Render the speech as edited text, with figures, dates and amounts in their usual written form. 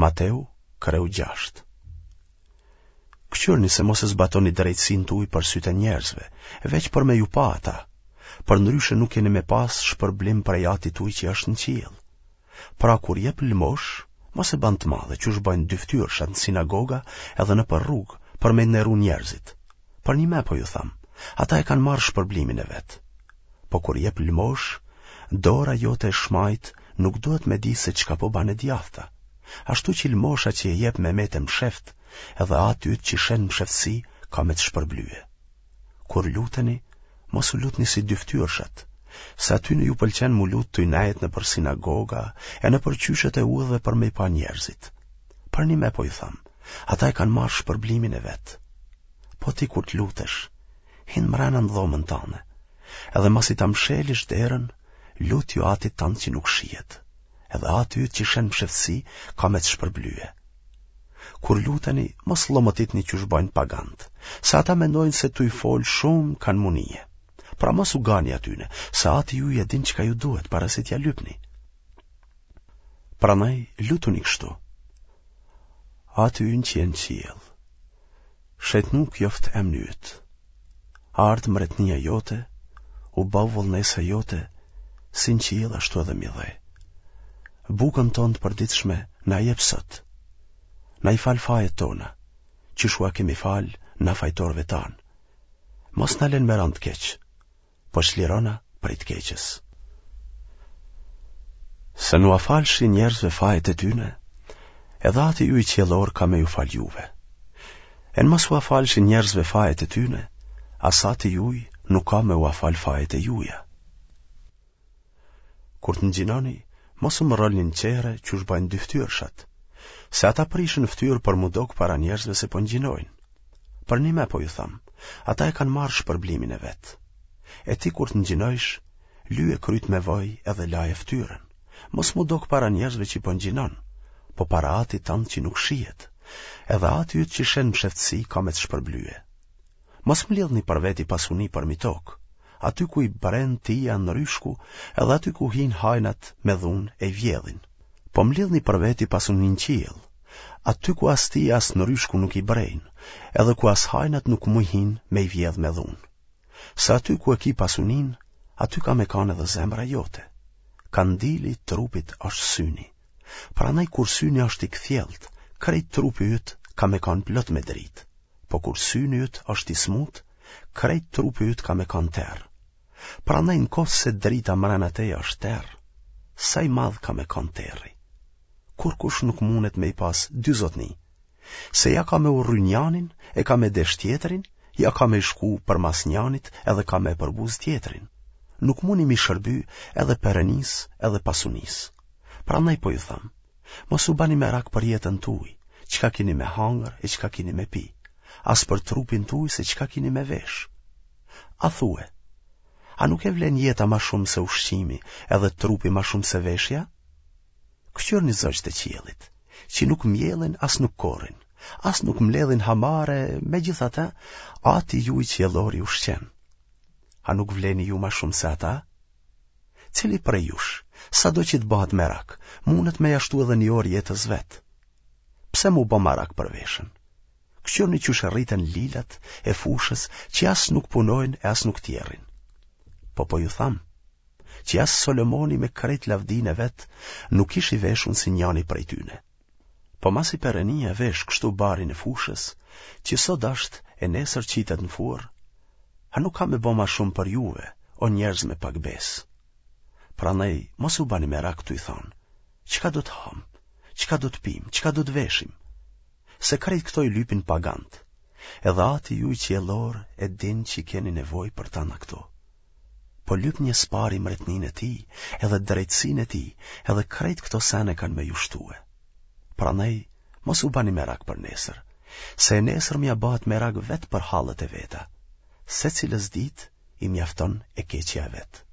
Mateu, kreu 6. Këqyrni se mos e zbatoni drejtësinë tuj për sytë e njerëzve, veç për me ju pa ata. Përndryshe nuk keni me pas shpërblim prej atit tuj që është në qiell. Pra kur jep lëmoshë, mos e ban të madhe, qysh bajnë dyftyrshat në sinagoga edhe nëpër rrugë, për me nderu njerëzit. Përnjime po ju tham, ata e kanë marrë shpërblimin e vet. Po kur jep lëmoshë, dora jote e shmajtë nuk duhet me di se çka po ban e djathta. Ashtu që lëmosha që e jep me metë e msheftë, edhe ati yt që sheh në msheftësi ka me të shpërblye. Kur luteni, mos u lutni si dyftyrshat, se atyne ju pëlqen m'u lut tuj nejt nëpër sinagoga e nëpër qyshet e udhëve për me i pa njerëzit. Përnjime po ju tham, ata e kanë marrë shpërblimin e vet. Po ti kur të lutesh, hin mrena në dhomën tane, edhe masi ta mshelish derën, lutju atit tand që nuk shihet, edhe ati yt që sheh në msheftësi ka me të shpërblye. Kur luteni, mos llomotitni qysh bajnë pagant, se ata mendojnë se tuj fol shumë kanë m'u nije. Pra mos u gani atyne, se ati juj e din çka ju duhet para se t'ja lypni. Prandaj lutuni kështu. Ati ynë që je në qiell, shejtnu kjoftë emni yt. Ardhtë mbretnia jote, u baftë vullnesa jote, si në qiell ashtu edhe mi dhe. Bukën tonë të përditshme na jep sot. Na i fal fajet tona, qysh ua kemi fal na fajtorëve tanë. Mos na len me ra në të keq, po çlirona prej të keqes. Se n'ua falshi njerëzve fajet e tyne, edhe ati juj qiellor ka me ju fal juve. E në mos ua falshi njerëzve fajet e tyne, as ati juj nuk ka me ua fal fajet e juja. Kur të ngjinoni, mos u mrrolni në çehre qysh bajnë dyftyrshat, se ata prishin ftyrë për m'u dok para njerëzve se po ngjinojnë. Përnime po ju tham, ata e kanë marrë shpërblimin e vet. E ti kur të ngjinojsh, lyje kryt me vaj edhe laje ftyrën. Mos m'u dok para njerëzve që po ngjinon, po para atit tand që nuk shihet. Edhe ati yt që sheh në msheftësi ka me të shpërblye. Mos mblidhni për veti pasuni përmi tokë, aty ku i bren tija nryshku edhe aty ku hijnë hajnat me dhunë e i vjedhin. Po mblidhni për veti pasuni në qiell, aty ku as tija as nryshku nuk i brejnë, edhe ku as hajnat nuk muj hinë me i vjedh me dhunë. Se aty ku e ki pasuninë, aty ka me kanë edhe zemra jote. Kandili i trupit është syni. Prandaj kur syni është i kthjellët, krejt trupi yt ka me kanë plot me dritë. Po kur syni yt është i smut, krejt trupi yt ka me kanë terr. Prandaj në qoftë se drita mrena teje është terr, sa i madh ka me kanë terri. Kurkush nuk mundet me i pas dy zotni, se ja ka me urry njanin e ka me desh tjetrin, ja ka me shku përmas njanit edhe ka me përbuz tjetrin. Nuk muni m'i shërby edhe Perënisë edhe pasunisë. Prandaj po ju tham, Mos u bani merak për jetën tuaj, çka kini me hangër e çka kini me pi, as për trupin tuaj se çka kini me vesh. A thue, a nuk e vlen jeta ma shumë se ushqimi edhe trupi ma shumë se veshja? Këqyrni zogjtë e qiellit, që nuk mjellin as nuk korrin, as nuk mbledhin hamare, megjithatë, ati juaj qiellor i ushqen. A nuk vleni ju ma shumë se ata? Cili prej jush, sado që të bëhet merak, mundet me ia shtu edhe një orë jetës vet? Pse m'u bë marak për veshën? Këqyrni qysh rriten lilat e fushës që as nuk punojnë e as nuk tjerrin. Po po ju tham, që as Solomoni me krejt lavdinë e vet nuk ish i veshun si njani prej tyne. Po masi Perënia e vesh kështu barin e fushës, që sot asht e nesër qitet në furrë, a nuk ka me bo ma shumë për juve, o njerëz me pak besë? Prandaj, mos u bani merak tuj thonë, çka do të hamë, çka do të pimë, çka do të veshim? Se krejt këto i lypin pagant, edhe ati juj qiellor e din që keni nevojë për tana këto. Po lypnie së pari mretninë e tij, edhe drejtësinë e tij, edhe krejt këto sene kanë me ju shtue. Prandaj, mos u bani merak për nesër, se e nesërmja bëhet merak vetë për hallet e veta. Secilës ditë i mjafton e keqja e vet.